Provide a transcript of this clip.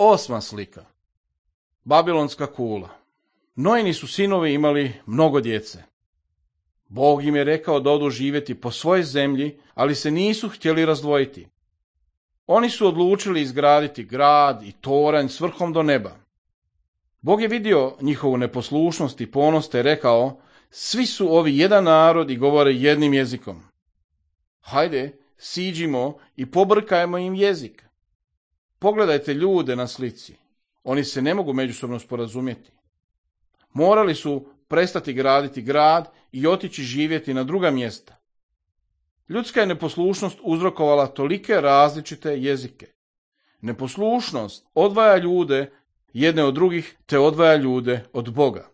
8. slika. Babilonska kula. Noini su sinovi imali mnogo djece. Bog im je rekao da odu živjeti po svojoj zemlji, ali se nisu htjeli razdvojiti. Oni su odlučili izgraditi grad i toranj s vrhom do neba. Bog je vidio njihovu neposlušnost i ponos te rekao, svi su ovi jedan narod i govore jednim jezikom. Hajde, siđimo i pobrkajmo im jezik. Pogledajte ljude na slici. Oni se ne mogu međusobno sporazumjeti. Morali su prestati graditi grad i otići živjeti na druga mjesta. Ljudska je neposlušnost uzrokovala tolike različite jezike. Neposlušnost odvaja ljude jedne od drugih te odvaja ljude od Boga.